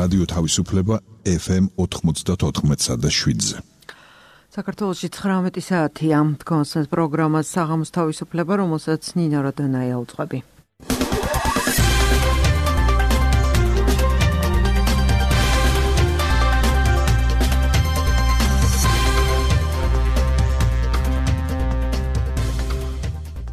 რადიო თავისუფლება FM 94.7-ზე. საქართველოში 19 საათია. თქვენს პროგრამას საღამოს თავისუფლება, რომელსაც ნინა როდანაია უძღვები.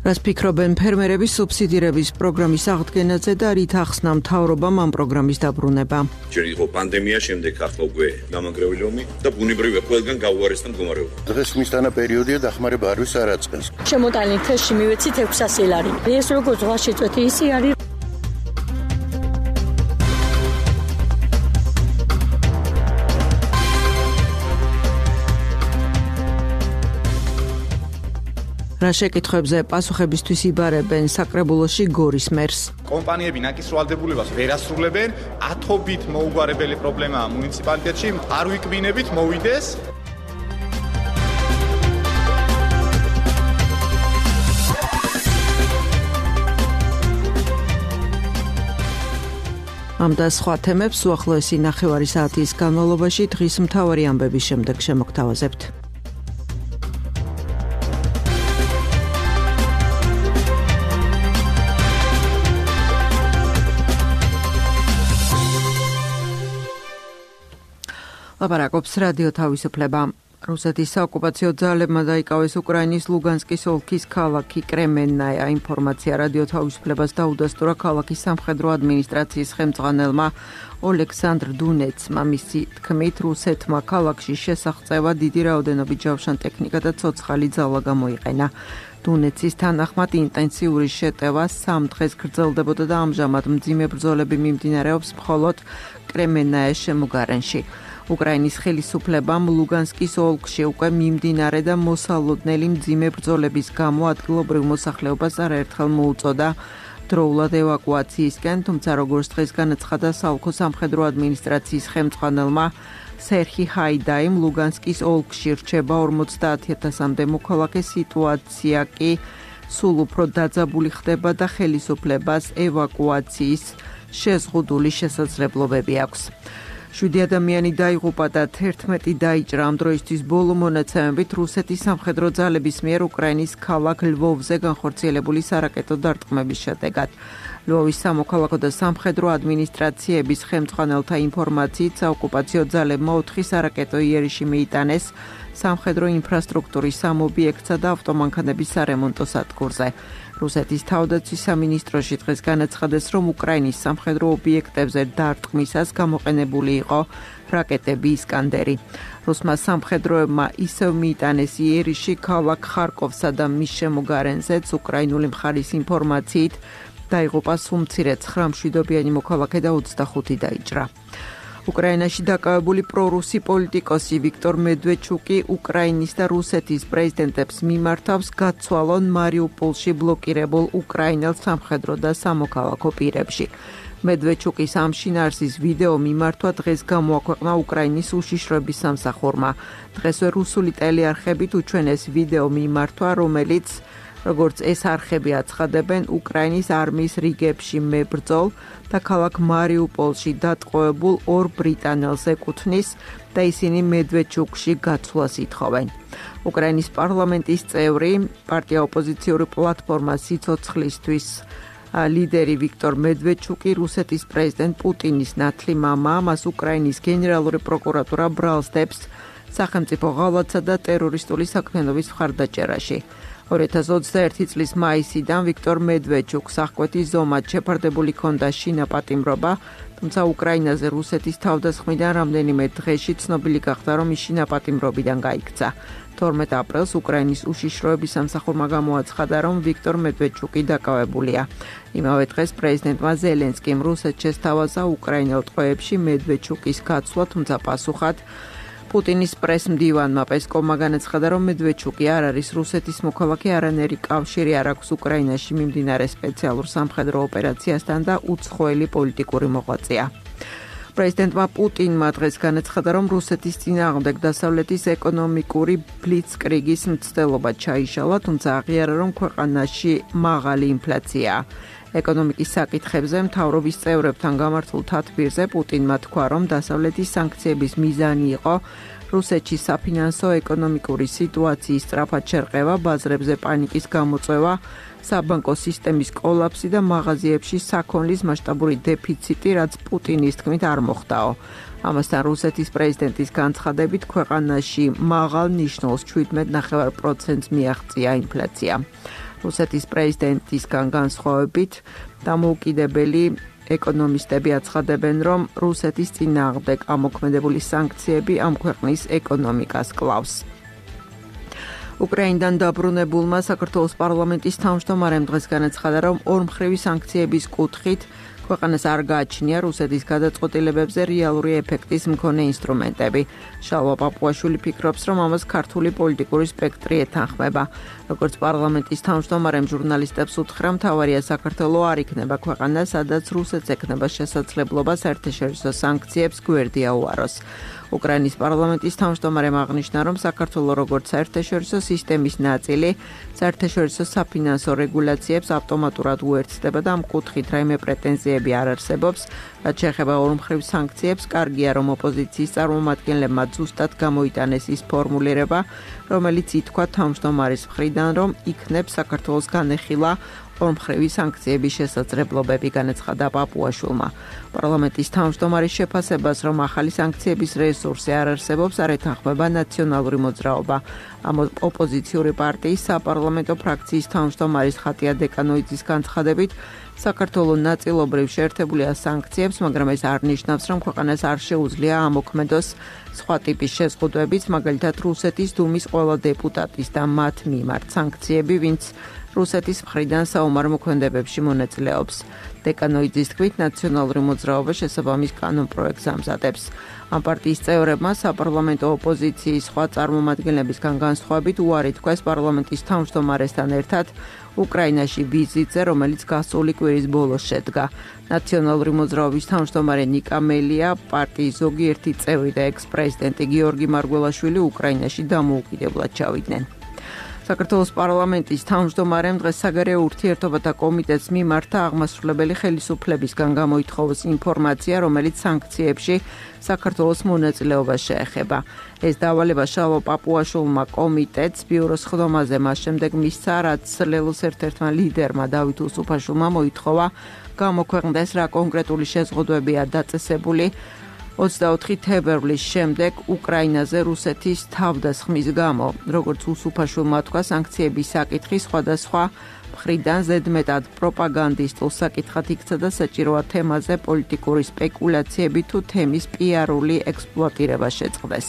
რას ფიქრობენ ფერმერების სუბსიდირების პროგრამის აღდგენაზე და რით ახსნა მთავრობამ ამ პროგრამის დაბრუნება? ჯერ იყო პანდემია, შემდეგ ახლა უკვე გამანგრეველი ომი და ბუნებრივია ყველგან გაუარესდა მდგომარეობა. დღეს მისდანა პერიოდია დახმარება არ ვის არაწყენს. შემოტანილი თეში მივეცით 600 ლარი. ეს როგორ ზღვაში წვეთი ისი არის. რა შეკითხვებზე პასუხებისთვის იბარებენ საკრებულოში გორის მერს. კომპანიები ნაკისრვალდებულებას ვერ ასრულებენ, ათობით მოუგვარებელი პრობლემაა მუნიციპალიტეტში, არ ვიკბინებით მოვიდეს. ამ და სხვა თემებს უახლოესი ნახევარი საათის განმავლობაში დღის მთავარი ამბების შემდეგ შემოგთავაზებთ. ლაპარაკობს რადიო თავისუფლება. რუსეთის საოკუპაციო ძალებმა დაიკავეს უკრაინის ლუგანსკის ოლქის ქალაქი კრემენნაია. ინფორმაცია რადიო თავისუფლებას დაუდასტურა ქალაქის სამხედრო ადმინისტრაციის ხელმძღვანელმა ოლექსანდრ დუნეცმა. მისი თქმით, რუსეთმა ქალაქში შესაღწევად დიდი რაოდენობით ჯავშან ტექნიკა და ცოცხალი ძალა გამოიყენა. დუნეცის თანახმად ინტენსიური შეტევა 3 დღეს გრძელდებოდა და ამჟამად მძიმე ბრძოლები მიმდინარეობს მხოლოდ კრემენნაის შემოგარენში. უკრაინის ხელისუფლებამ ლუგანსკის ოლქში უკვე მიმდინარე და მოსალოდნელი მძიმე ბრძოლების გამო ადგილობრივ მოსახლეობას არაერთხელ მოუწოდა დროულად ევაკუაციისკენ, თუმცა როგორც დღეს განაცხადა საოლქო სამხედრო ადმინისტრაციის ხელმძღვანელმა სერხი ჰაიდაიმ, ლუგანსკის ოლქში რჩება 50,000-მდე მოქალაქე, სიტუაცია კი სულ უფრო დაძაბული ხდება და ხელისუფლებას ევაკუაციის შეზღუდული შესაძლებლობები აქვს. 7 ადამიანი დაიღუპა და 11 დაიჭრა. ამ დროისთვის ბოლო მონაცემებით რუსეთის სამხედრო ძალების მიერ უკრაინის ქალაქ ლვოვზე განხორციელებული სარაკეტო დარტყმების შედეგად. ლვოვის სამოქალაქო და სამხედრო ადმინისტრაციების ხელმძღვანელთა ინფორმაციით საოკუპაციო ძალებმა 4 სარაკეტო იერიში მიიტანეს სამხედრო ინფრასტრუქტურის 3 ობიექტსა და ავტომანქანების სარემონტო სადგურზე. რუსეთის თავდაცვის სამინისტროში დღეს განაცხადეს, რომ უკრაინის სამხედრო ობიექტებზე დარტყმისას გამოყენებული იყო რაკეტები ისკანდერი. რუსმა სამხედროებმა ისევ მიიტანეს იერიში ქალაქ ხარკოვსა და მის შემოგარენზეც. უკრაინული მხარის ინფორმაციით დაიღუპა სულ მცირე 9 მშვიდობიანი მოქალაქე და 25 დაიჭრა. უკრაინაში დაკავებული პრორუსი პოლიტიკოსი ვიქტორ მედვეჩუკი უკრაინის და რუსეთის პრეზიდენტებს მიმართავს გაცვალონ მარიუპოლში ბლოკირებულ უკრაინელ სამხედრო და სამოქალაქო პირებში. მედვეჩუკის ამ შინაარსის ვიდეო მიმართვა დღეს გამოაქვეყნა უკრაინის უშიშროების სამსახურმა. დღესვე რუსული ტელეარხებით უჩვენეს ვიდეო მიმართვა, რომელიც როგორც ეს არხები აცხადებენ, უკრაინის არმიის რიგებში მებრძოლ და ქალაქ მარიუპოლში დატყვევებულ 2 ბრიტანელს ეკუთვნის და ისინი მედვეჩუკში გაცვლას ითხოვენ. უკრაინის პარლამენტის წევრი, პარტია ოპოზიციური პლატფორმა სიცოცხლისთვის ლიდერი ვიქტორ მედვეჩუკი რუსეთის პრეზიდენტ პუტინის ნათლი მამაა. მას უკრაინის გენერალური პროკურატურა ბრალსდებს სახელმწიფო ღალატსა და ტერორისტული საქმიანობის მხარდაჭერაში. 2021 წლის მაისიდან ვიქტორ მედვეჩუკს აღკვეთის ზომად შეფარდებული ჰქონდა შინაპატიმრობა, თუმცა უკრაინაზე რუსეთის თავდასხმიდან რამდენიმე დღეში ცნობილი გახდა, რომ ის შინაპატიმრობიდან გაიქცა. 12 აპრილს უკრაინის უშიშროების სამსახურმა გამოაცხადა, რომ ვიქტორ მედვეჩუკი დაკავებულია. იმავე დღეს პრეზიდენტმა ზელენსკიმ რუსეთს შესთავაზა უკრაინელ ტყვეებში მედვეჩუკის გაცვლა, თუმცა პასუხად პუტინის პრესმდივანმა პესკოვმა განაცხადა, რომ მედვეჩუკი არ არის რუსეთის მოქალაქე, არანაირი კავშირი არ აქვს უკრაინაში მიმდინარე სპეციალურ სამხედრო ოპერაციასთან და უცხოელი პოლიტიკური მოღვაწეა. პრეზიდენტმა პუტინმა დღეს განაცხადა, რომ რუსეთის წინააღმდეგ დასავლეთის ეკონომიკური ბლიცკრიგის მცდელობა ჩაიშალა, თუმცა აღიარა, რომ ქვეყანაში მაღალი ინფლაციაა. ეკონომიკის საკითხებზე მთავრობის წევრებთან გამართულ თათბირზე პუტინმა თქვა, რომ დასავლეთის სანქციების მიზანი იყო რუსეთში საფინანსო ეკონომიკური სიტუაციის სწრაფად შერყევა, ბაზრებზე პანიკის გამოწვევა, საბანკო სისტემის კოლაფსი და მაღაზიებში საქონლის მასშტაბური დეფიციტი, რაც პუტინის თქმით არ მოხდაო. ამასთან რუსეთის პრეზიდენტის განცხადებით ქვეყანაში მაღალ ნიშნულს 17.9%-ს მიაღწია ინფლაცია. რუსეთის პრეზიდენტისგან განსხვავებით დამოუკიდებელი ეკონომისტები აცხადებენ, რომ რუსეთის წინააღმდეგ ამოქმედებული სანქციები ამ ქვეყნის ეკონომიკას კლავს. უკრაინიდან დაბრუნებულმა საქართველოს პარლამენტის თავმჯდომარემ დღეს განაცხადა, რომ ორმხრივი სანქციების კუთხით ქვეყანას არ გააჩნია რუსეთის გადაწყვეტილებებზე რეალური ეფექტის მქონე ინსტრუმენტები. შალვა პაპუაშვილი ფიქრობს, რომ ამას ქართული პოლიტიკური სპექტრი ეთანხმება. როგორც პარლამენტის თავმჯდომარემ ჟურნალისტებს უთხრა, მთავარია საქართველო არ იქნება ქვეყანა, სადაც რუსეთს ექნება შესაძლებლობა საერთაშორისო სანქციებს გვერდი აუაროს. უკრაინის პარლამენტის თავმჯდომარემ აღნიშნა, რომ საქართველო როგორც საერთაშორისო სისტემის ნაწილი საერთაშორისო საფინანსო რეგულაციებს ავტომატურად უერთდება და ამ კუთხით რაიმე პრეტენზიები არ არსებობს, რაც შეეხება ორმხრივ სანქციებს. კარგია, რომ ოპოზიციის წარმომადგენლებმა ზუსტად გამოიტანეს ის ფორმულირება, რომელიც ითქვა თავმჯდომარის მხრიდან, რომ იქნებს საქართველოს განეხილა ორმხრივი სანქციების შესაძლებლობები, განაცხადა პაპუაშვილმა. პარლამენტის თავმჯდომარის შეფასებას, რომ ახალი სანქციების რესურსი არ არსებობს, არ ეთანხმება ნაციონალური მოძრაობა. ამ ოპოზიციური პარტიის საპარლამენტო ფრაქციის თავმჯდომარის ხატია დეკანოიძის განცხადებით, საქართველო ნაწილობრივ შეერთებულია სანქციებს, მაგრამ ეს არ ნიშნავს, რომ ქვეყანას არ შეუძლია ამოქმედოს სხვა ტიპის შეზღუდვებიც, მაგალითად რუსეთის დუმის ყველა დეპუტატის და მათ მიმართ სანქციები, ვინც რუსეთის მხრიდან საომარ მოქმედებებში მონაწილეობს. დეკანოიძის თქმით, ნაციონალური მოძრაობა შესაბამის კანონპროექტს ამზადებს. ამ პარტიის წევრებმა საპარლამენტო ოპოზიციის სხვა წარმომადგენლებისგან განსხვავებით უარი თქვეს პარლამენტის თავმჯდომარესთან ერთად უკრაინაში ვიზიტზე, რომელიც გასული კვირის ბოლოს შედგა. ნაციონალური მოძრაობის თავმჯდომარე ნიკა მელია, პარტიის ზოგიერთი წევრი და ექს-პრეზიდენტი გიორგი მარგველაშვილი უკრაინაში დამოუკიდებლად ჩავიდნენ. საქართველოს პარლამენტის თავმჯდომარემ დღეს საგარეო ურთიერთობათა კომიტეტს მიმართა აღმასრულებელი ხელისუფლებისგან გამოითხოვოს ინფორმაცია, რომელიც სანქციებში საქართველოს მონაწილეობას შეეხება. ეს დავალება შალვა პაპუაშვილმა კომიტეტს ბიუროს ხდომაზე მას შემდეგ მისცა, რაც ლელოს ერთ-ერთმა ლიდერმა დავით უსუფაშვილმა მოითხოვა გამოქვეყნდეს რა კონკრეტული შეზღუდვებია დაწესებული 24 თებერვლის შემდეგ უკრაინაზე რუსეთის თავდასხმის გამო. როგორც უსუფაშვილმა თქვა, სანქციების საკითხი სხვადასხვა მხრიდან ზედმეტად პროპაგანდისტულ საკითხად იქცა და საჭიროა თემაზე პოლიტიკური სპეკულაციები თუ თემის პიარული ექსპლუატირება შეწყდეს.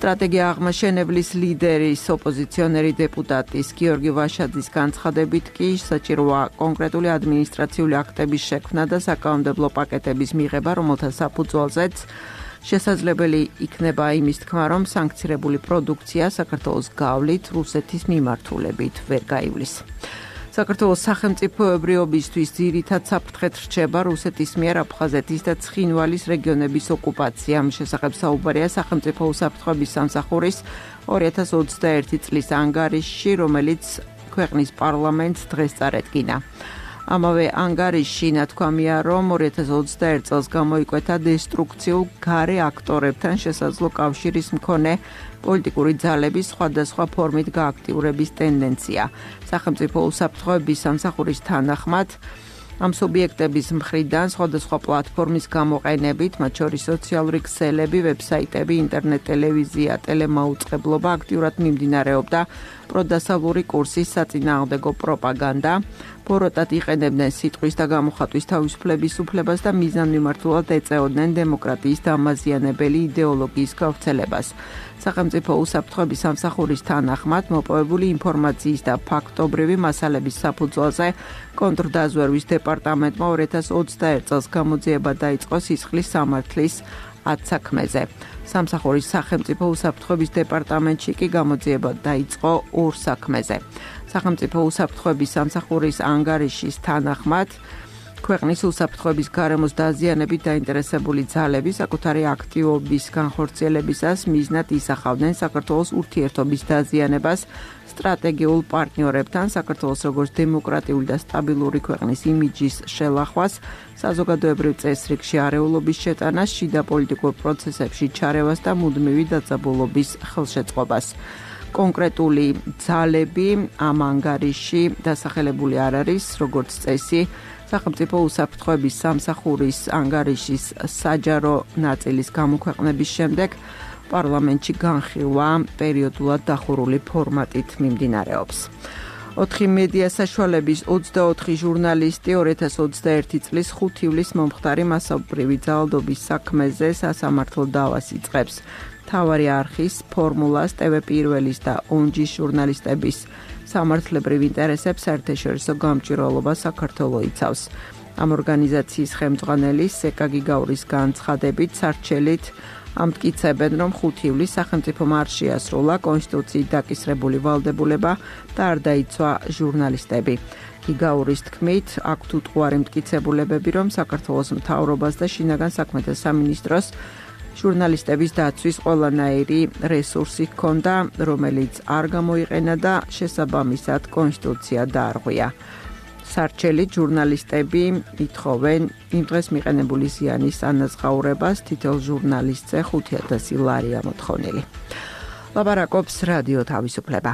სტრატეგია აღმაშენებლის ლიდერის ოპოზიციონერი დეპუტატის გიორგი ვაშაძის განცხადებით კი საჭიროა კონკრეტული ადმინისტრაციული აქტების შექმნა და საკანონმდებლო პაკეტების მიღება, რომელთა საფუძველზეც შესაძლებელი იქნება იმის თქმა, რომ სანქცირებული პროდუქცია საქართველოს გავლით რუსეთის მიმართულებით ვერ გაივლის. საქართველოს სახელმწიფოებრიობისთვის ძირითად საფრთხედ რჩება რუსეთის მიერ აფხაზეთის და ცხინვალის რეგიონების ოკუპაცია. ამ შესახებ საუბარია სახელმწიფო უსაფრთხოების სამსახურის 2021 წლის ანგარიშში, რომელიც ქვეყნის პარლამენტს დღეს წარედგინა. ამავე ანგარიშში ნათქვამია, რომ 2021 წელს გამოიკვეთა დესტრუქციულ გარე აქტორებთან შესაძლო კავშირის მქონე პოლიტიკური ძალების სხვადასხვა ფორმით გააქტიურების ტენდენცია. სახელმწიფო უსაფრთხოების სამსახურის თანახმად ამ სუბიექტების მხრიდან სხვადასხვა პლატფორმის გამოყენებით, მათ შორის სოციალური ქსელები, ვებსაიტები, ინტერნეტ ტელევიზია, ტელემაუწყებლობა აქტიურად მიმდინარეობდა პროდასავლური კურსის საწინააღმდეგო პროპაგანდა. ფოროტად იყენებდნენ სიტყვის და გამოხატვის თავისუფლების უფლებას და მიზანმიმართულად ეწეოდნენ დემოკრატიის დამაზიანებელი იდეოლოგიის გავრცელებას. სახელმწიფო უსაფრთხოების სამსახურის თანახმად მოპოვებული ინფორმაციის და ფაქტობრივი მასალების საფუძველზე კონტრდაზვერვის დეპარტამენტმა 2021 წელს გამოძიება დაიწყო სისხლის სამართლის 10 საქმეზე. სამსახურის სახელმწიფო უსაფრთხოების დეპარტამენტში კი გამოძიება დაიწყო 2 საქმეზე. სახელმწიფო უსაფრთხოების სამსახურის ანგარიშის თანახმად ქვეყნის უსაფრთხოების გარემოს დაზიანებით დაინტერესებული ძალები საკუთარი აქტივობის განხორციელებისას მიზნად ისახავდნენ საქართველოს ურთიერთობის დაზიანებას სტრატეგიულ პარტნიორებთან საქართველოს როგორც დემოკრატიული და სტაბილური ქვეყნის იმიჯის შელახვას, საზოგადოებრივ წესრიგში არეულობის შეტანას, შიდა პოლიტიკურ პროცესებში ჩარევას და მუდმივი დაძაბულობის ხელშეწყობას. კონკრეტული ძალები ამ ანგარიში დასახელებული არ არის, როგორც წესი, სახელმწიფო უსაფრთხოების სამსახურის ანგარიშის საჯარო ნაწილის გამოქვეყნების შემდეგ პარლამენტში განხილვა პერიოდულად დახურული ფორმატით მიმდინარეობს. 4 მედია საშუალების 24 ჟურნალისტი 2021 წლის 5 ივლისს მომხდარი მასობრივი ძალადობის საქმეზე სასამართლო დავას იწყებს. მთავარი არხის, ფორმულას, TV პირველის და ONG-ის ჟურნალისტების სამართლებრივ ინტერესებს საერთაშორისო გამჭვირვალობა საქართველოს იცავს. ამ ორგანიზაციის ხელმძღვანელი სეკა გიგაურის განცხადებით სარჩელით ამტკიცებენ, რომ 5 ივლისს სახელმწიფო მარში ასრულა კონსტიტუციით დაკისრებული ვალდებულება და არ დაიცვა ჟურნალისტები. გიგაურის თქმით, აქვთ უტყუარი მტკიცებულებები, რომ საქართველოს მთავრობას და შინაგან საქმეთა სამინისტროს ჟურნალისტების დაცვის ყველანაირი რესურსი ჰქონდა, რომელიც არ გამოიყენა და შესაბამისად კონსტიტუცია დაარღვია. სარჩელით ჟურნალისტები ითხოვენ იმ დღეს მიყენებული ზიანის ანაზღაურებას, თითოეულ ჟურნალისტზე 5,000 ლარია მოთხოვნილი. ლაპარაკობს რადიო თავისუფლება.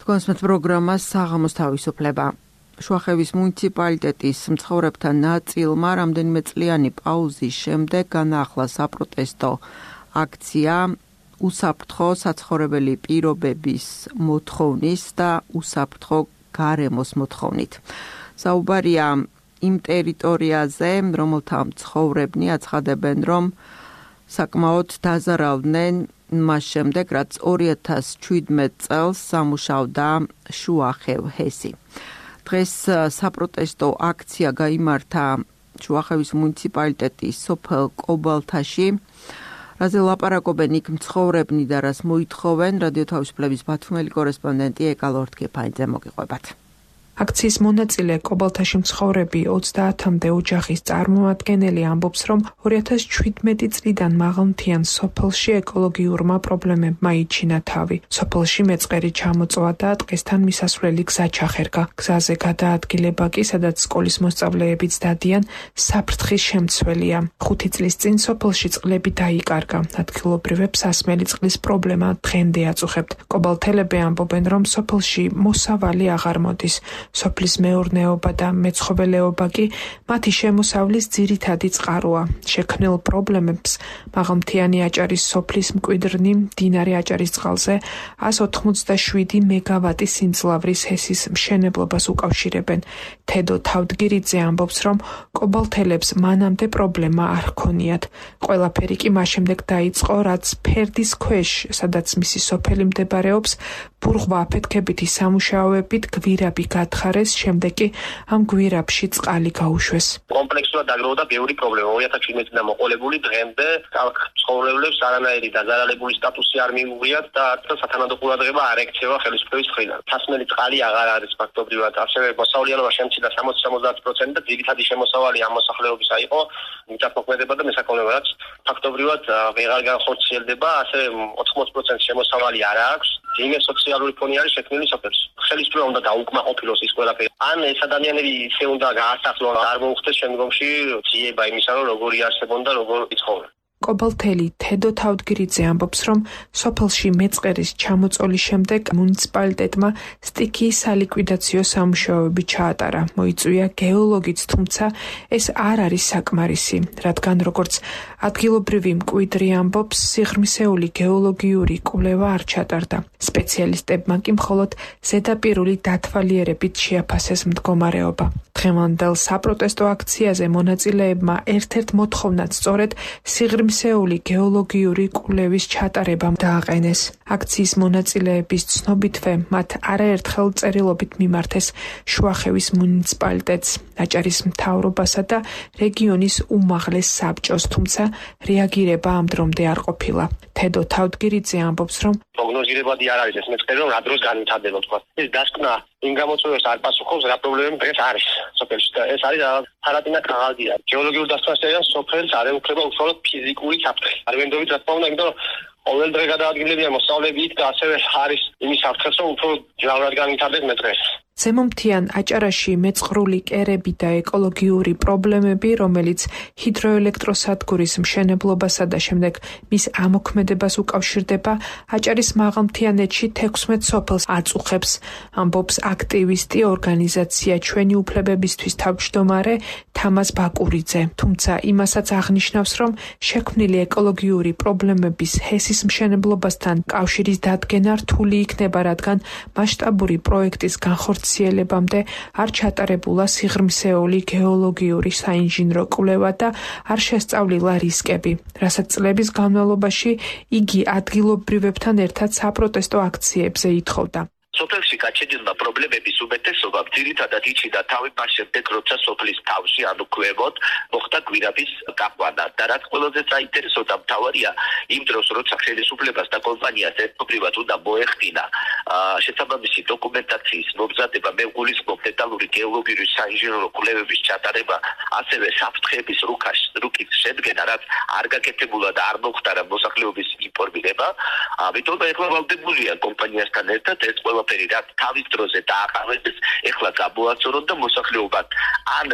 თქვენს პროგრამას საღამოს თავისუფლება. შუახევის მუნიციპალიტეტის მცხოვრებთა ნაწილმა რამდენიმე წლიანი პაუზის შემდეგ განაახლა საპროტესტო აქცია უსაფრთხო საცხოვრებელი პირობების მოთხოვნის და უსაფრთხო გარემოს მოთხოვნით. საუბარია იმ ტერიტორიაზე, რომელთა მცხოვრებნი აცხადებენ, რომ საკმაოდ დაზარავდნენ მას შემდეგ, რაც 2017 წელს სამუშაოდა შუახევ ჰესი. დღეს საპროტესტო აქცია გაიმართა შუახევის მუნიციპალიტეტის სოფელ კობალთაში, რაზე ლაპარაკობენ იქ მცხოვრებნი და რას მოითხოვენ, რადიო თავისუფლების ბათუმელი კორესპონდენტი ეკა ლორთქეფანიძე მოგიყვებათ. აქციის მონაწილე კობალთაში მცხოვრები 30-მდე ოჯახის წარმოადგენელი ამბობს, რომ 2017 წლიდან მაღალმთიან სოფელში ეკოლოგიურმა პრობლემებმა იჩინა თავი. სოფელში მეწყერი ჩამოწვა და დღესთან მისასვლელი გზა ჩახერგა. გზაზე გადაადგილება კი, სადაც სკოლის მოსწავლეებიც დადიან, საფრთხის შემცველია. 5 წლის წინ სოფელში წყლები დაიკარგა. ადგილობრივებს ასმელი წყლის პრობლემა დღემდე აწუხებთ. კობალთელები ამბობენ, რომ სოფელში მოსავალი აღარ მოდის. სოფლის მეურნეობა და მეცხოველეობა კი მათი შემოსავლის ძირითადი წყაროა. შექმნილ პრობლემებს მაღალმთიანი აჭარის სოფლის მკვიდრნი მდინარე აჭარის წყალზე 187 მეგავატის სიმძლავრის ჰესის მშენებლობას უკავშირებენ. თედო თავდგირიძე ამბობს, რომ კობალთელებს მანამდე პრობლემა არ ჰქონიათ. ყველაფერი კი მას შემდეგ დაიწყო, რაც ფერდის ქვეშ, სადაც მისი სოფელი მდებარეობს, ბურღვა აფეთქებითი სამუშაოებით გვირაბი გათხარეს, შემდეგ კი ამ გვირაბში წყალი გაუშვეს. კომპლექსურად დაგროვდა ბევრი პრობლემა. 2017 წლიდან მოყოლებული დღემდე ცხოვრებლებს არანაირი დაზარალებული სტატუსი არ მიუღიათ და სათანადო ყურადღება არ ექცევა ხელისუფლების მხრიდან. თასმელი წყალი აღარ არის ფაქტობრივად. ასევე მოსავლიანობა შემცირდა 60-70% და ძირითადი შემოსავალი ამ მოსახლეობისა იყო მიწათმოქმედება და მესაქონლეობა, რაც ფაქტობრივად ვეღარ განხორციელდება. ასევე 80% შემოსავალი არ აქვს. ძიმე სოციალური ფონი არის შექმნილი სოფელში. ხელისუფლება უნდა დაუკმაყოფილოს ის ყველაფერი. ან ეს ადამიანები ისე უნდა გაასახლონ, არ მოუხდეს შემდგომში ძიება იმისა, რომ როგორი არსებობენ და როგორ იცხოვრენ. კობალთელი თედო თავდგირიძე ამბობს, რომ სოფელში მეწყერის ჩამოწოლის შემდეგ მუნიციპალიტეტმა სტიქიის სალიკვიდაციო სამუშაოები ჩაატარა. მოიწვია გეოლოგიც, თუმცა ეს არ არის საკმარისი, რადგან როგორც ადგილობრივი მკვიდრი ამბობს, სიღრმისეული გეოლოგიური კვლევა არ ჩატარდა. სპეციალისტებმა კი მხოლოდ ზედაპირული დათვალიერებით შეაფასეს მდგომარეობა. დღევანდელ საპროტესტო აქციაზე მონაწილეებმა ერთ-ერთ მოთხოვნად სწორედ სიღრმისეული გეოლოგიური კვლევის ჩატარება დააყენეს. აქციის მონაწილეების ცნობითვე მათ არაერთხელ წერილობით მიმართეს შუახევის მუნიციპალიტეტს, აჭარის მთავრობასა და რეგიონის უმაღლეს საბჭოს, თუმცა რეაგირება ამ დრომდე არ ყოფილა. თედო თავდგირიძე ამბობს, რომ პროგნოზირებადი არ არის ეს მეწყერი, რომ რა დროს განვითარდება თქვა. ეს დასკვნა იმ გამოწვევებს არ პასუხობს, რა პრობლემები დღეს არის სოფელში და ეს არის ფარატინა კაღაზია. გეოლოგიურ დასწრებასთან სოფელს არ ეუფლება უშუალოდ ფიზიკური საფრთხე. არ ვენდობით რა თქმა უნდა, იმიტომ რომ ყოველ დღე გადაადგილებია მოსწავლეებით და ასევე არის იმის საფრთხეც, რომ უფრო ჯავრად განვითარდეს მეტრეს. ზემომთიან აჭარაში მეწყრული კერები და ეკოლოგიური პრობლემები, რომელიც ჰიდროელექტროსადგურის მშენებლობასა და შემდეგ მის ამოქმედებას უკავშირდება, აჭარის მაღალმთიანეთში 16 სოფელს აწუხებს, ამბობს აქტივისტი ორგანიზაცია ჩვენი უფლებებისთვის თავმჯდომარე თამაზ ბაკურიძე. თუმცა იმასაც აღნიშნავს, რომ შექმნილი ეკოლოგიური პრობლემების ჰესის მშენებლობასთან კავშირის დადგენა რთული იქნება, რადგან მასშტაბური პროექტის განხორციელებამდე არ ჩატარებულა სიღრმისეული გეოლოგიური საინჟინრო კვლევა და არ შესწავლილა რისკები, რასაც წლების განმავლობაში იგი ადგილობრივებთან ერთად საპროტესტო აქციებზე ითხოვდა. სოფელში გაჩენილმა პრობლემების უმეტესობამ ძირითადად იჩინდა თავი მას შემდეგ, როცა სოფლის თავში ანუ ქვემოთ მოხდა გვირაბის გაყვანა და რაც ყველაზე საინტერესოა მთავარია იმ დროს, როცა ხელისუფლებას და კომპანიას ერთობლივად უნდა მოეხდინა შესაბამისი დოკუმენტაციის მომზადება, მეგულისხმობ დეტალური გეოლოგიური საინჟინრო კვლევების ჩატარება, ასევე საფრთხეების რუკის შედგენა, რაც არ გაკეთებულა და არ მოხდა მოსახლეობის ინფორმირება. ამიტომ ეხლა ვალდებულია კომპანიასთან ერთად ეს ყველაფერი რაც თავის დროზე დააყენეს, ეხლა გამოაცორონ და მოსახლეობად ან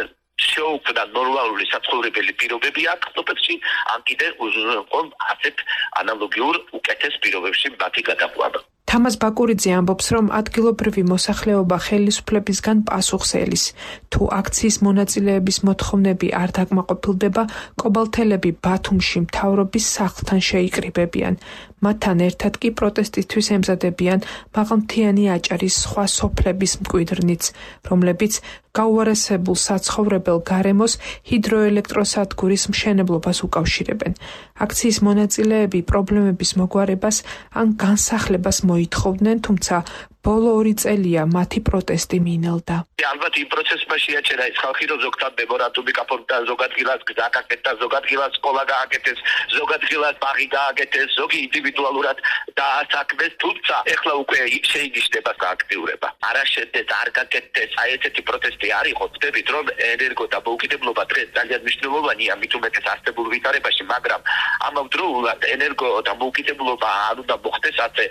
შეუქმნა ნორმალური საცხოვრებელი პირობები აქ სოფელში, ან კიდე უზრუნველყო ასეთ ანალოგიურ უკეთეს პირობებში მათი გადაყვანა. თამაზ ბაკურიძე ამბობს, რომ ადგილობრივი მოსახლეობა ხელისუფლებისგან პასუხს ელის. თუ აქციის მონაწილეების მოთხოვნები არ დაკმაყოფილდება, კობალთელები ბათუმში მთავრობის სახლთან შეიკრიბებიან. მათთან ერთად კი პროტესტისთვის ემზადებიან მაღალმთიანი აჭარის სხვა სოფლების მკვიდრნიც, რომლებიც გაუარესებულ საცხოვრებელ გარემოს ჰიდროელექტროსადგურის მშენებლობას უკავშირებენ. აქციის მონაწილეები პრობლემების მოგვარებას ან განსახლებას მოითხოვდნენ, თუმცა ბოლო 2 წელია მათი პროტესტი მინელდა. ალბათ იმ პროცესმა შეაჩერა ის ხალხი, რომ ზოგადად მემორანდუმი გაფორმდა, ზოგადად გილას გააკეთეს, ზოგადად გილას სკოლა გააკეთეს, ზოგადად გილას ბაღი გააკეთეს, ზოგი ინდივიდუალურად დაასაქმეს, თუმცა ეხლა უკვე შეინიშნება სააქტიურება. არა შედეგად არ გაკეთეს, აი ესეთი პროტესტი არ იყო. ვთქვით, რომ ენერგო და მოუკიდებლობა დღეს ძალიან მნიშვნელოვანია, მით უმეტეს არსებულ ვითარებაში, მაგრამ ამავდროულად ენერგო და მოუკიდებლობა არ უნდა მოხდეს ასე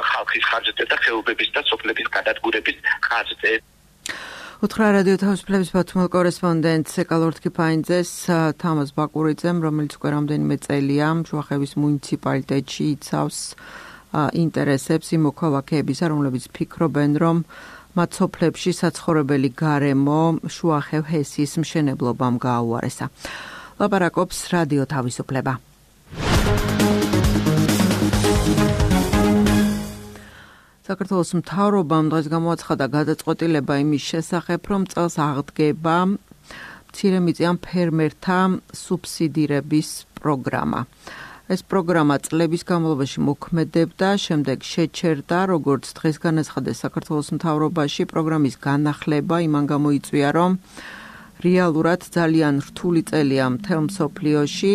ხალხის ხარჯზე და ხეობების და სოფლების გადადგურების ხარჯზე. უთხრა რადიო თავისუფლების ბათუმელ კორესპონდენტს ეკალორთ კიფაინძეს თამაზ ბაკურიძემ, რომელიც უკვე რამდენიმე წელია შუახევის მუნიციპალიტეტში იცავს ინტერესებს იმ მოქალაქეებისა, რომლებიც ფიქრობენ, რომ მათ სოფლებში საცხოვრებელი გარემო შუახევ ჰესის მშენებლობამ გააუარესა. ლაპარაკობს რადიო თავისუფლება. საქართველოს მთავრობამ დღეს გამოაცხადა გადაწყვეტილება იმის შესახებ, რომ წელს აღდგება მცირემიწიან ფერმერთა სუბსიდირების პროგრამა. ეს პროგრამა წლების განმავლობაში მოქმედებდა, შემდეგ შეჩერდა, როგორც დღეს განაცხადეს საქართველოს მთავრობაში, პროგრამის განახლება იმან გამოიწვია, რომ რეალურად ძალიან რთული წელია მთელ მსოფლიოში.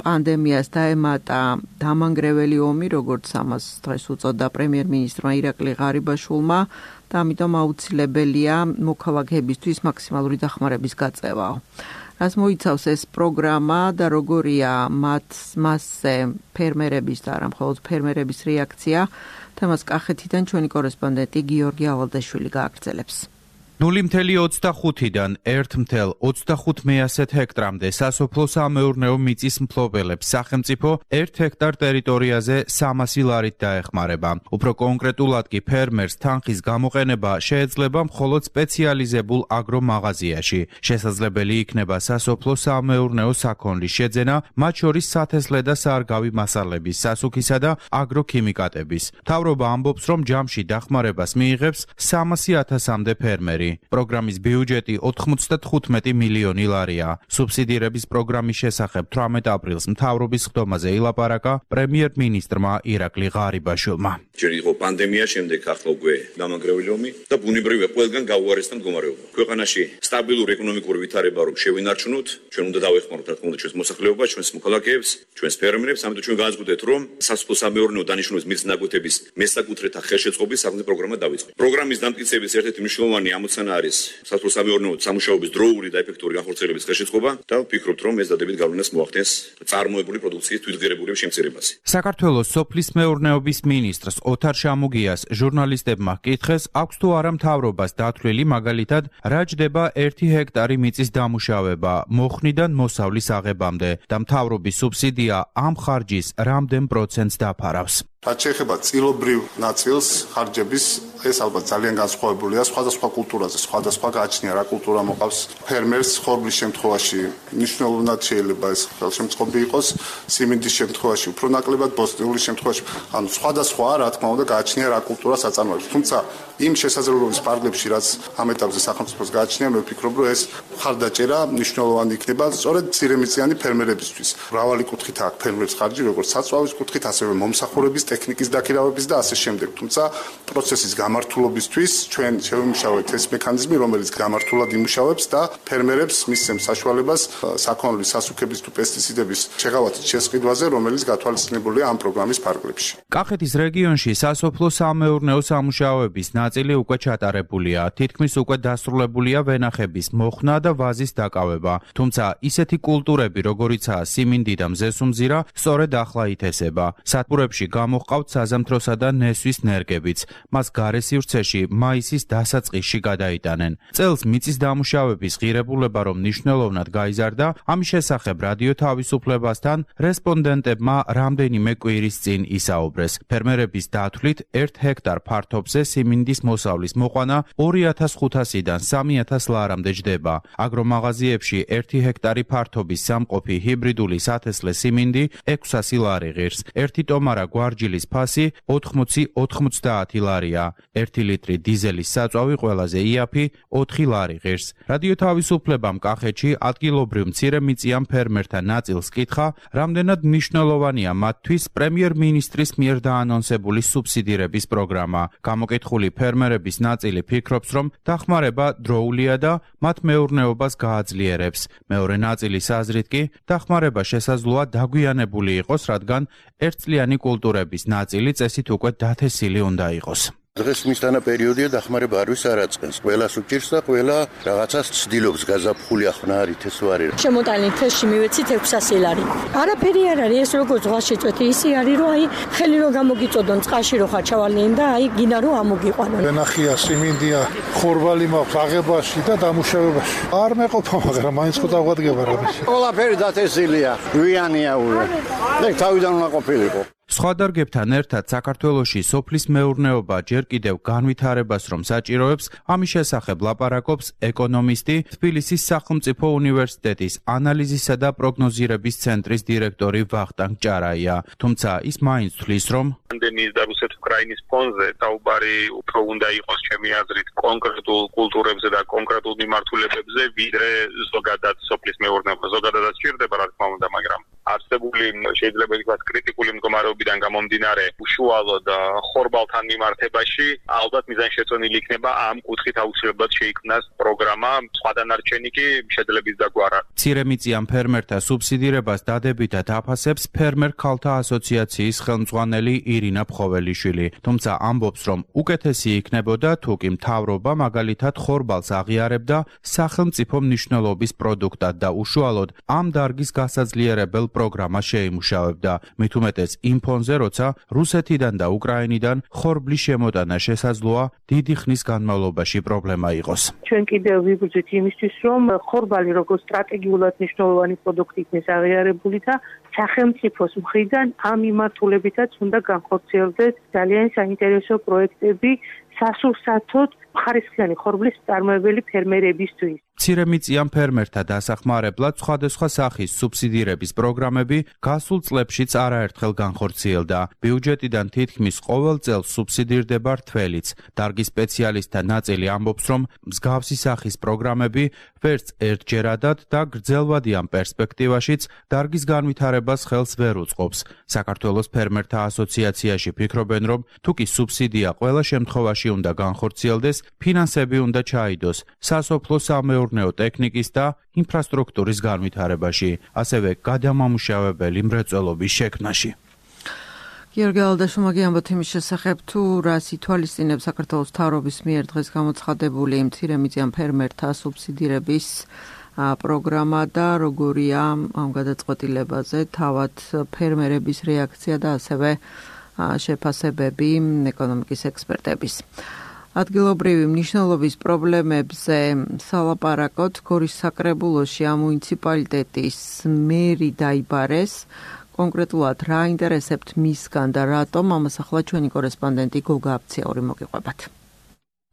პანდემიას დაემატა დამანგრეველი ომი, როგორც ამას დღეს უწოდა პრემიერ-მინისტრმა ირაკლი ღარიბაშვილმა და ამიტომ აუცილებელია მოქალაქეებისთვის მაქსიმალური დახმარების გაწევაო. რას მოიცავს ეს პროგრამა და როგორია მასზე ფერმერების და არა მხოლოდ ფერმერების რეაქცია, თემას კახეთიდან ჩვენი კორესპონდენტი გიორგი ავალდაშვილი გააგრძელებს. 0.25-დან 1.25 ჰექტრამდე სასოფლო-სამეურნეო მიწის მფლობელებს სახელმწიფო 1 ჰექტარ ტერიტორიაზე 300 ლარით დაეხმარება. უფრო კონკრეტულად კი ფერმერს თანხის გამოყენება შეეძლება მხოლოდ სპეციალიზებულ აგრომაღაზიაში. შესაძლებელი იქნება სასოფლო-სამეურნეო საქონლის შეძენა, მათ შორის სათესლე და სარგავი მასალების, სასუქისა და აგროქიმიკატების. მთავრობა ამბობს, რომ ჯამში დახმარებას მიიღებს 300,000-მდე ფერმერი. პროგრამის ბიუჯეტი 95 მილიონი ლარია. სუბსიდირების პროგრამის შესახებ 18 აპრილს მთავრობის ხდომაზე ილაპარაკა პრემიერ-მინისტრმა ირაკლი ღარიბაშვილმა. ჯერ იყო პანდემია, შემდეგ ახლა უკვე დამანგრეველი ომი და ბუნებრივია ყველგან გაუარესდა მდგომარეობა. ქვეყანაში სტაბილური ეკონომიკური ვითარება რომ შევინარჩუნოთ, ჩვენ უნდა დავეხმაროთ რა თქმა უნდა ჩვენს მოსახლეობას, ჩვენს მოქალაქეებს, ჩვენს ფერმერებს, ამიტომ ჩვენ განაცხადეთ, რომ სასოფლო-სამეურნეო დანიშნულების მიწის ნაკვეთების მესაკუთრეთა ხელშეწყობის საკუთრე პროგრამა დავიწყოთ. პროგრამის დამტკიცების ერთ-ერთი მნიშვნელოვანი ამოცანა ჩვენთან არის სასოფლო-სამეურნეო სამუშაოების დროული და ეფექტური განხორციელების ხელშეწყობა და ვფიქრობთ, რომ ეს დადებით გავლენას მოახდენს წარმოებული პროდუქციის თვითღირებულების შემცირებაზე. საქართველოს სოფლის მეურნეობის მინისტრს ოთარ შამუგიას ჟურნალისტებმა ჰკითხეს, აქვს თუ არა მთავრობას დათვლილი მაგალითად, რა ჯდება 1 ჰექტარი მიწის დამუშავება მოხნიდან მოსავლის აღებამდე და მთავრობის სუბსიდია ამ ხარჯის რამდენ პროცენტს დაფარავს. რაც შეეხება წილობრივ ნაწილს ხარჯების, ეს ალბათ ძალიან განსხვავებულია სხვადასხვა კულტურაზე, სხვადასხვა გააჩნია რა კულტურა მოყავს ფერმერს. ხორბლის შემთხვევაში მნიშვნელოვნად შეიძლება ეს ხელშემწყობი იყოს, სიმინდის შემთხვევაში უფრო ნაკლებად, ბოსტნეულის შემთხვევაში, ანუ სხვადასხვა რა თქმა უნდა გააჩნია რა კულტურა საწარმოებს. თუმცა იმ შესაძლებლობის პარკლებში, რაც ამ ეტაპზე სახელმწიფოს გააჩნია, მე ვფიქრობ, რომ ეს მხარდაჭერა მნიშვნელოვანი იქნება სწორედ მცირემიწიანი ფერმერებისთვის. მრავალი კუთხით აქვს ფერმერების ხარჯი, როგორც საწვავის კუთხით, ასევე მომსახურების ტექნიკის დაქირავების და ასე შემდეგ. თუმცა პროცესის გამართულობისთვის ჩვენ შევიმუშავეთ ეს მექანიზმი, რომელიც გამართულად იმუშავებს და ფერმერებს მისცემს საშუალებას საქონლის, სასუქების თუ პესტიციდების შეღავათის შესყიდვაზე, რომელიც გათვალისწინებულია ამ პროგრამის ფარგლებში. კახეთის რეგიონში სასოფლო-სამეურნეო სამუშაოების ნაწილი უკვე ჩატარებულია, თითქმის უკვე დასრულებულია ვენახების მოხსნა და ვაზის დაკავება. თუმცა ისეთი კულტურები, როგორიცაა სიმინდი და მზესუმზირა, სწორედ ახლა ითესება. სადგურებში გამოჰყავთ საზამთროსა და ნესვის ნერგებიც. მას გარესივრცეში მაისის დასაწყისში გადაიტანენ. წელს მიწის დამუშავების ღირებულება რომ მნიშვნელოვნად გაიზარდა, ამის შესახებ რადიო თავისუფლებასთან რესპონდენტებმა რამდენიმე კვირის წინ ისაუბრეს. ფერმერების დათვლით 1 ჰექტარ ფართობზე სიმინდის მოსავლის მოყვანა 2500-დან 3000 ლარამდე ჯდება. აგრომაღაზიებში 1 ჰექტარი ფართობის სამყოფი ჰიბრიდული სათესლე სიმინდი 600 ლარი ღირს. 1 ტომარა გვარჯილის ფასი 80-90 ლარია. 1 ლიტრი დიზელის საწვავი ყველაზე იაფი 4 ლარი ღირს. რადიო თავისუფლებამ კახეთში ადგილობრივ მცირემიწიან ფერმერთა ნაწილს კითხა, რამდენად მნიშვნელოვანია მათთვის პრემიერ-მინისტრის მიერ დაანონსებული სუბსიდირების პროგრამა. გამოკითხული ფერმერების ნაწილი ფიქრობს, რომ დახმარება დროულია და მათ მეურნეობას გააძლიერებს. მეორე ნაწილის აზრით კი დახმარება შესაძლოა დაგვიანებული იყოს, რადგან ერთწლიანი კულტურების ნაწილი წესით უკვე დათესილი უნდა იყოს. დღეს მისთანა პერიოდია დახმარება არ ვის არაწყენს. ყველას უჭირს და ყველა რაღაცას ცდილობს გაზაფხული ახლა არის თესვარი. შემოტანილი თესში მივეცით 600 ლარი. არაფერი არ არის, ეს როგორ ზღვას შეწვეთი, ისი არის, რომ აი ხელი რო გამოგიწოდონ წყალში რო ხაჩავალნიან და აი გინა რო ამოგიყვანონ. ვენახია, სიმინდია, ხორბალი მაქვს აღებაში და დამუშავებაში. არ მეყოფა, მაგრამ მაინც ხო დაგვადგება რამის. ყველაფერი დათესილია, გვიანია უე. ეგ თავიდან უნდა ყოფილიყო. სხვა დარგებთან ერთად საქართველოში სოფლის მეურნეობა ჯერ კიდევ განვითარებას რომ საჭიროებს, ამის შესახებ ლაპარაკობს ეკონომისტი, თბილისის სახელმწიფო უნივერსიტეტის ანალიზისა და პროგნოზირების ცენტრის დირექტორი ვახტანგ ჭარაია. თუმცა ის მაინც თვლის, რომ პანდემიის და რუსეთ-უკრაინის ფონზე საუბარი უფრო უნდა იყოს ჩემი აზრით კონკრეტულ კულტურებზე და კონკრეტულ მიმართულებებზე, ვიდრე ზოგადად სოფლის მეურნეობა. ზოგადადაც ჭირდება, რა თქმა უნდა, მაგრამ არსებული შეიძლება ითქვას კრიტიკული მდგომარეობიდან გამომდინარე უშუალოდ ხორბალთან მიმართებაში ალბათ მიზანშეწონილი იქნება ამ კუთხით აუცილებლად შეიქმნას პროგრამა, სხვა დანარჩენი კი შედლების დაგვარა. მცირემიწიან ფერმერთა სუბსიდირებას დადებითად აფასებს ფერმერ ქალთა ასოციაციის ხელმძღვანელი ირინა ფხოველიშვილი. თუმცა ამბობს, რომ უკეთესი იქნებოდა თუ კი მთავრობა მაგალითად ხორბალს აღიარებდა სახელმწიფო მნიშვნელობის პროდუქტად და უშუალოდ ამ დარგის გასაძლიერებელ პროგრამას შეიმუშავებდა. მით უმეტეს იმ ფონზე, როცა რუსეთიდან და უკრაინიდან ხორბლის შემოტანა შესაძლოა დიდი ხნის განმავლობაში პრობლემა იყოს. ჩვენ კიდევ ვიბრძვით იმისთვის, რომ ხორბალი როგორც სტრატეგიულად მნიშვნელოვანი პროდუქტი იქნეს აღიარებული და სახელმწიფოს მხრიდან ამ მიმართულებითაც უნდა განხორციელდეს ძალიან საინტერესო პროექტები სასურსათოდ ხარისხიანი ხორბლის მწარმოებელი ფერმერებისთვის. მცირემიწიან ფერმერთა დასახმარებლად სხვადასხვა სახის სუბსიდირების პროგრამები გასულ წლებშიც არაერთხელ განხორციელდა. ბიუჯეტიდან თითქმის ყოველ წელს სუბსიდირდება რთველიც. დარგის სპეციალისტთა ნაწილი ამბობს, რომ მსგავსი სახის პროგრამები ვერც ერთჯერადად და გრძელვადიან პერსპექტივაშიც დარგის განვითარებას ხელს ვერ უწყობს. საქართველოს ფერმერთა ასოციაციაში ფიქრობენ, რომ თუკი სუბსიდია ყველა შემთხვევაში უნდა განხორციელდეს, ფინანსები უნდა ჩაიდოს სასოფლო-სამეურნეო ტექნიკის და ინფრასტრუქტურის განვითარებაში, ასევე გადამამუშავებელი მრეწველობის შექმნაში. გიორგი ალდაშუმაგი ამბობთ იმის შესახებ, თუ რას ითვალისწინებს საქართველოს მთავრობის მიერ დღეს გამოცხადებული მცირემიწიან ფერმერთა სუბსიდირების პროგრამა და როგორია ამ გადაწყვეტილებაზე თავად ფერმერების რეაქცია და ასევე შეფასებები ეკონომიკის ექსპერტების. ადგილობრივი მნიშვნელობის პრობლემებზე სალაპარაკოთ გორის საკრებულოში ამ მუნიციპალიტეტის მერი დაიბარეს. კონკრეტულად რა ინტერესებთ მისგან და რატომ ამას ახლა ჩვენი კორესპონდენტი გოგა აფციაური მოგიყვებათ.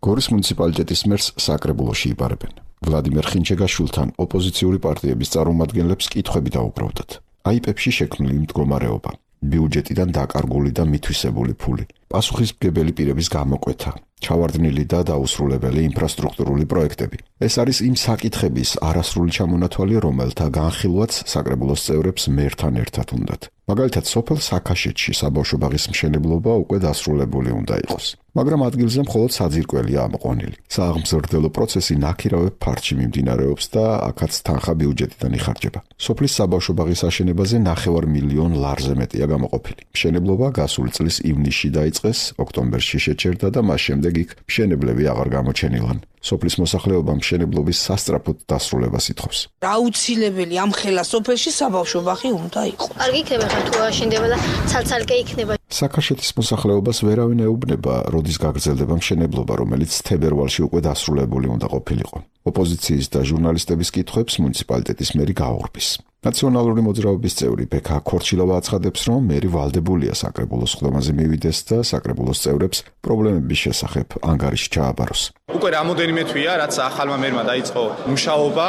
გორის მუნიციპალიტეტის მერს საკრებულოში იბარებენ. ვლადიმერ ხინჩეგაშვილთან ოპოზიციური პარტიების წარმომადგენლებს კითხვები დაუბრუნდათ. აიპებში შექმნილი მდგომარეობა, ბიუჯეტიდან დაკარგული და მითვისებული ფული, პასუხისმგებელი პირების გამოკვეთა, ჩავარდნილი და დაუსრულებელი ინფრასტრუქტურული პროექტები. ეს არის იმ საკითხების არასრული ჩამონათვალი, რომელთა განხილვაც საკრებულოს წევრებს მერთან ერთად უნდათ. მაგალითად, სოფელ საქაშეთში საბავშვო ბაღის მშენებლობა უკვე დასრულებული უნდა იყოს. მაგრამ ადგილზე მხოლოდ საძირკველია ამოყვანილი. სააღმზრდელო პროცესი ნაქირავებ ფართში მიმდინარეობს და აქაც თანხა ბიუჯეტიდან იხარჯება. სოფლის საბავშვო ბაღის აშენებაზე 9 მილიონ ლარზე მეტია გამოყოფილი. მშენებლობა გასული წლის ივნისში დაიწყეს, ოქტომბერში შეჩერდა და მას შემდეგ იქ მშენებლები აღარ გამოჩენილან. სოფლის მოსახლეობა მშენებლობის სასწრაფოდ დასრულებას ითხოვს. აუცილებელი ამ ხელა სოფელში საბავშვო ბაღი უნდა იყოს. არ გიქნება ხა თუ აშენდება და ცალ-ცალკე იქნება. საქაშეთის მოსახლეობას ვერავინ ეუბნება, როდის გაგრძელდება მშენებლობა, რომელიც თებერვალში უკვე დასრულებული უნდა ყოფილიყო. ოპოზიციის და ჟურნალისტების კითხვებს მუნიციპალიტეტის მერი გააურბის. ნაციონალური მოძრაობის წევრი ბექა ქორჩილავა აცხადებს, რომ მერი ვალდებულია საკრებულოს ხდომაზე მივიდეს და საკრებულოს წევრებს პრობლემების შესახებ ანგარიში ჩააბაროს. უკვე რამოდენიმე თვეა, რაც ახალმა მერმა დაიწყო მუშაობა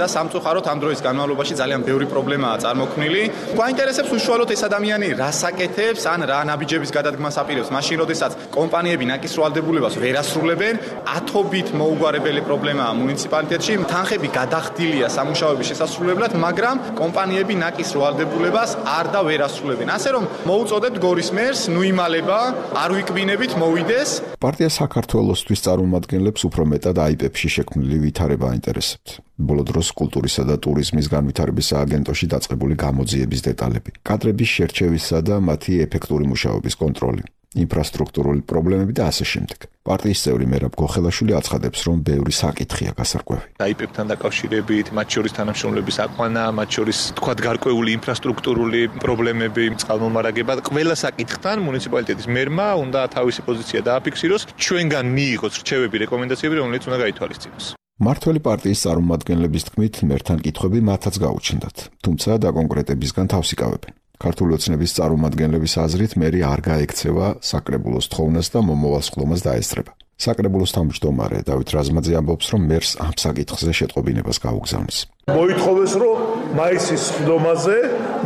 და სამწუხაროდ ამ დროის განმავლობაში ძალიან ბევრი პრობლემაა წარმოქმნილი. გვაინტერესებს უშუალოდ ეს ადამიანი რას აკეთებს, ან რა ნაბიჯების გადადგმას აპირებს, მაშინ როდესაც კომპანიები ნაკის რვალდებულებას ვერ ასრულებენ, ათობით მოუგვარებელი პრობლემაა მუნიციპალიტეტში. თანხები გადახდილია სამუშაოების შესასრულებლად, მაგრამ კომპანიები ნაკის რვალდებულებას არ და ვერ ასრულებენ. ასე რომ მოუწოდებთ გორის მერს, ნუ იმალება, არ ვიკბინებით, მოვიდეს. პარტია საქართველოსთვის წარმომადგენლებს უფრო მეტად აიპებში შექმნილი ვითარება აინტერესებთ. ბოლო დროს კულტურისა და ტურიზმის განვითარების სააგენტოში დაწყებული გამოძიების დეტალები, კადრების შერჩევისა და მათი ეფექტური მუშაობის კონტროლი, ინფრასტრუქტურული პრობლემები და ასე შემდეგ. პარტიის წევრი მერაბ გოხელაშვილი აცხადებს, რომ ბევრი საკითხია გასარკვევი. აიპებთან დაკავშირებით, მათ შორის თანამშრომლობის აყვანა, მათ შორის თქვათ გარკვეული ინფრასტრუქტურული პრობლემები, წყალმომარაგება, ყველა საკითხთან მუნიციპალიტეტის მერმა უნდა თავისი პოზიცია დააფიქსიროს, ჩვენგან მიიღოს რჩევები, რეკომენდაციები, რომელიც უნდა გაითვალისწინოს. მართველი პარტიის წარმომადგენლების თქმით, მერთან კითხვები მათაც გაუჩნდათ, თუმცა დაკონკრეტებისგან თავს იკავებენ. ქართული ოცნების წარმომადგენლების აზრით, მერი არ გაექცევა საკრებულოს თხოვნას და მომავალ სხდომას დაესწრება. საკრებულოს თავმჯდომარე დავით რაზმაძე ამბობს, რომ მერს ამ საკითხზე შეტყობინებას გაუგზავნის. მოითხოვეს, რომ მაისის სხდომაზე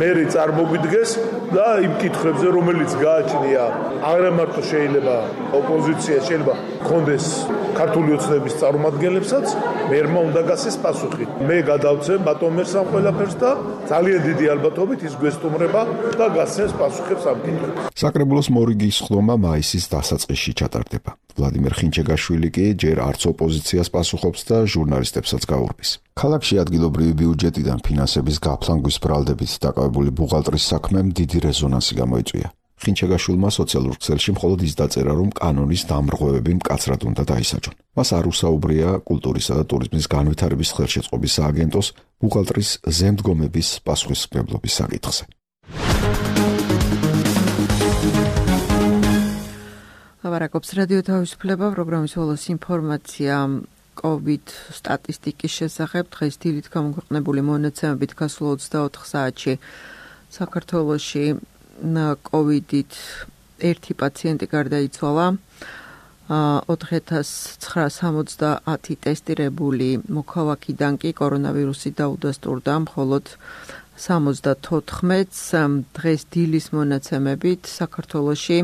მერი წარმოგვიდგეს და იმ კითხვებზე, რომელიც გააჩნია, არა მარტო შეიძლება ოპოზიცია, შეიძლება კონდეს ქართული ოცნების წარმომადგენლებსაც, მერმა უნდა გასცეს პასუხი. მე გადავცემ ბატონ მერს ამ ყველაფერს და ძალიან დიდი ალბათობით ის გვესტუმრება და გასცემს პასუხებს ამ კითხვებს. საკრებულოს მორიგის სხდომა მაისის დასაწყისში ჩატარდება. ვლადიმერ ხინჩეგაშვილი კი ჯერ არც ოპოზიციას პასუხობს და ჟურნალისტებსაც გაურბის. ქალაქში ადგილობრივი ბიუჯეტიდან ფინანსების გაფლანგვის ბრალდებით დაკავებული ბუღალტრის საქმემ დიდი რეზონანსი გამოიწვია. ხინჩეგაშვილმა სოციალურ ქსელში მხოლოდ ის დაწერა, რომ კანონის დამრღვევები მკაცრად უნდა დაისაჯონ. მას არ უსაუბრია კულტურისა და ტურიზმის განვითარების ხელშეწყობის სააგენტოს ბუღალტრის ზემდგომების პასუხისმგებლობის საკითხზე. ლაპარაკობს რადიო თავისუფლება, პროგრამის ბოლოს ინფორმაცია COVID სტატისტიკის შესახებ. დღეს დილით გამოქვეყნებული მონაცემებით გასულ 24 საათში საქართველოში COVID-ით 1 პაციენტი გარდაიცვალა. 4970 ტესტირებული მოქალაქიდან კი კორონავირუსი დაუდასტურდა, მხოლოდ 74-ს. დღეს დილის მონაცემებით საქართველოში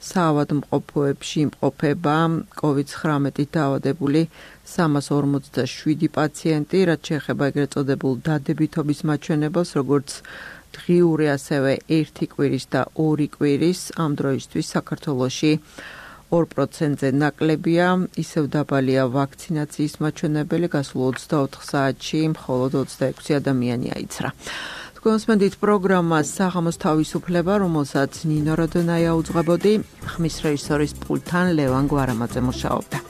საავადმყოფოებში იმყოფება COVID-19 დაავადებული 347 პაციენტი, რაც შეეხება ეგრეთ წოდებულ დადებითობის მაჩვენებელს, როგორც დღიური, ასევე 1 კვირის და 2 კვირის. ამ დროისთვის საქართველოში 2%-ზე ნაკლებია, ისევ დაბალია ვაქცინაციის მაჩვენებელი, გასულ 24 საათში მხოლოდ 26 ადამიანი აიცრა. გვესმენთ პროგრამას საღამოს თავისუფლება, რომელსაც ნინო როდონაია უძღვებოდი, ხმის რეჟისორის პულტთან ლევან გვარამაძე მუშაობდა.